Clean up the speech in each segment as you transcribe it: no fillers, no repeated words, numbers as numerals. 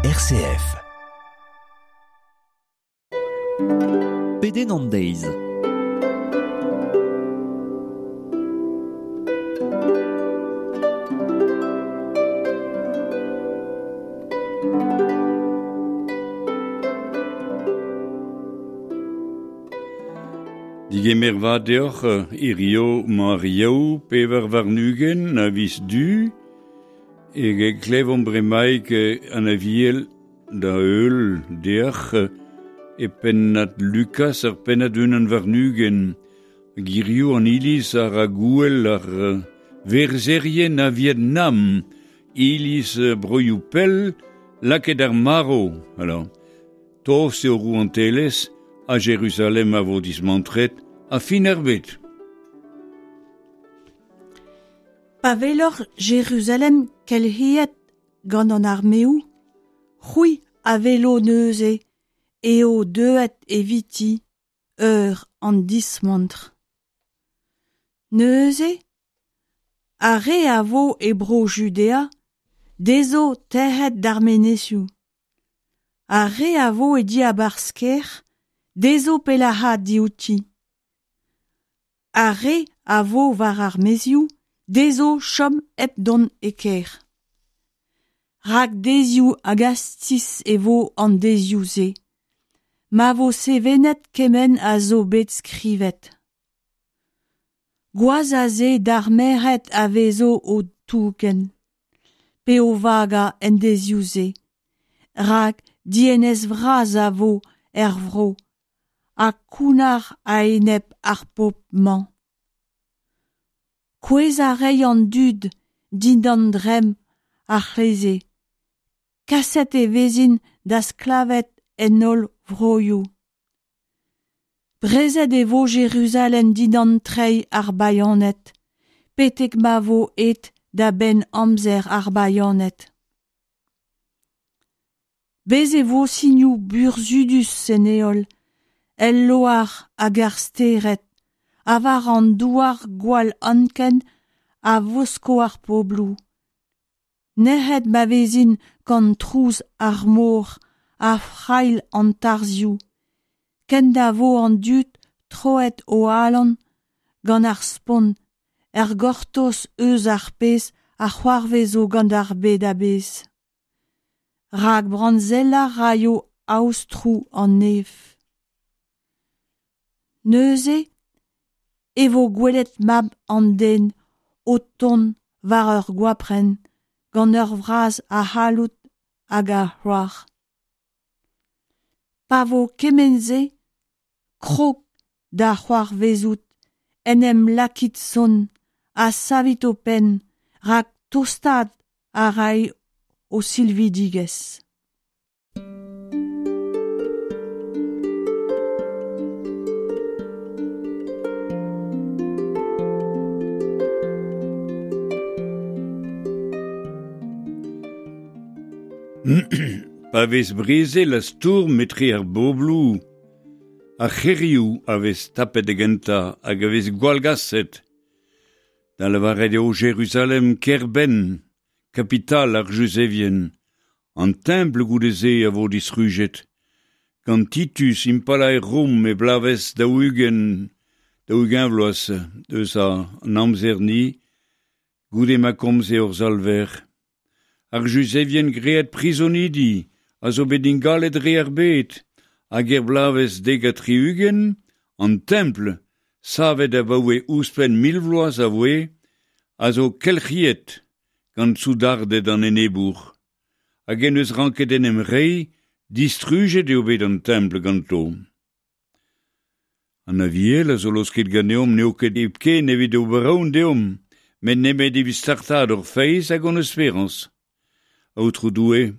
RCF. Pedenn an deiz. Digemer vat deoc'h hirio 'mañ ar Yaou 24 a viz Du e klevomp bremaik an aviel da heul deoc'h e pennad Lukas ar pennad 21. Hirio an iliz a ra gouel ar verzherien a Vietnam, iliz broioù pell lakaet ar marv. Alors, tost eo rouantelezh ha Jeruzalem a vo dismantret ha fin ar bed. Pa weloc'h Jeruzalem kelc'hiet gant an armeoù, c'hwi a welo neuze eo deuet eviti eur an dismantr. Neuze, ar re a vo e bro Judea dezho tec'het d'ar menezioù. Ar re a vo e diabarzh kêr dezho pellaat diouti. Ar re a vo war ar maezioù dezho chom hep dont e kêr. Rak deizioù hag astiz e vo an deizioù-se, ma vo sevenet kement a zo bet skrivet. Gwazh a se d'ar merc'hed a vezo o tougen, pe o vagañ en deizioù-se, rak dienez vras a vo er vro ha kounnar a-enep ar pobl-mañ. Kouezhañ a ray an dud dindan dremm ar c'hleze. Kaset e vezint da sklaved en holl vroioù. Brezet e vo Jeruzalem dindan treid ar bayaned, betek ma vo aet da benn amzer ar bayaned. Bez' e vo sinoù burzhudus en heol, el loar hag ar stered, ha war an douar gwall anken a vosko ar pobloù. Nec'het ma vezint gant trouz ar mor ha frailh an tarzhioù, ken na vo an dud troet o alan gant ar spont er gortoz eus ar pezh a c'hoarvezo gant ar bed a-bezh. Rak brañsellañ 'raio aotroù an neñv. Neuze e vo gwelet mab an den o tont war ur goaprenn gant ur vras a c'halloud hag a c'hloar. Pa vo kement-se krog da c'hoarvezout en em lakit sonn ha savit ho penn rak tostaat a ray ho silvidigezh. Pa vez brezel ha stourm etre ar bobloù, ar c'hêrioù a vez tapet da gentañ hag a vez gwallgaset. Da lavaret eo Jeruzalem kêr-benn, kapital ar Juzevien. An templ goude-se a vo distrujet. Gant Titus impalaer Rom e bloavezh 40, 40 vloaz eus an amzer-ni, goude ma komze hor Salver. Ar Juzevien graet prizonidi a zo bet ingalet dre ar bed, hag er bloavezh 70, an templ, savet abaoe ouzhpenn 1000 vloaz a voe, a zo kelc'hiet gant soudarded an enebour. Hag en deus ranket en em reiñ, distrujet eo bet an templ ganto. An Aviel a zo laosket ganeomp n'eo ket hepken evit ober aon deomp, met nemet evit startaat hor feiz hag hon esperañs. Aotrou Doue,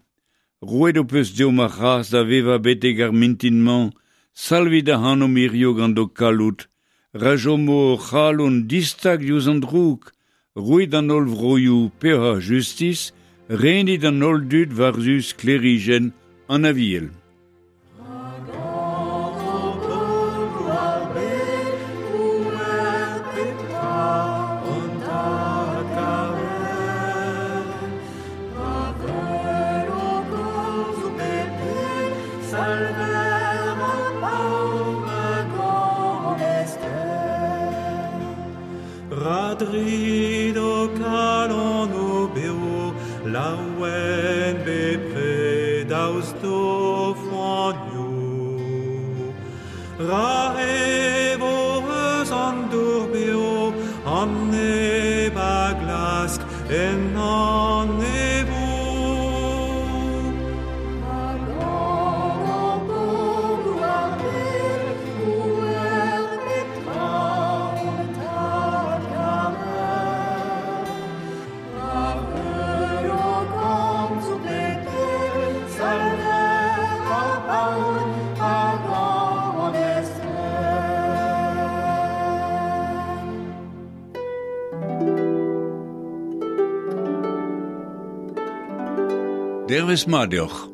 roet ho peus deomp ar c'hras da vevañ betek ar mintin-mañ, salvit ac'hanomp hirio gant ho kalloud, ra chomo hor c'halon distag diouzh an droug, roit d'an holl vroioù peoc'h ha justis, renit an holl dud war-zu sklêrijenn an Aviel. drido kalon o beo, laouen bepred daoust d'o foanioù. Ra evo eus an dour beo, an neb a glask en an evo. Dervez mat deoc'h.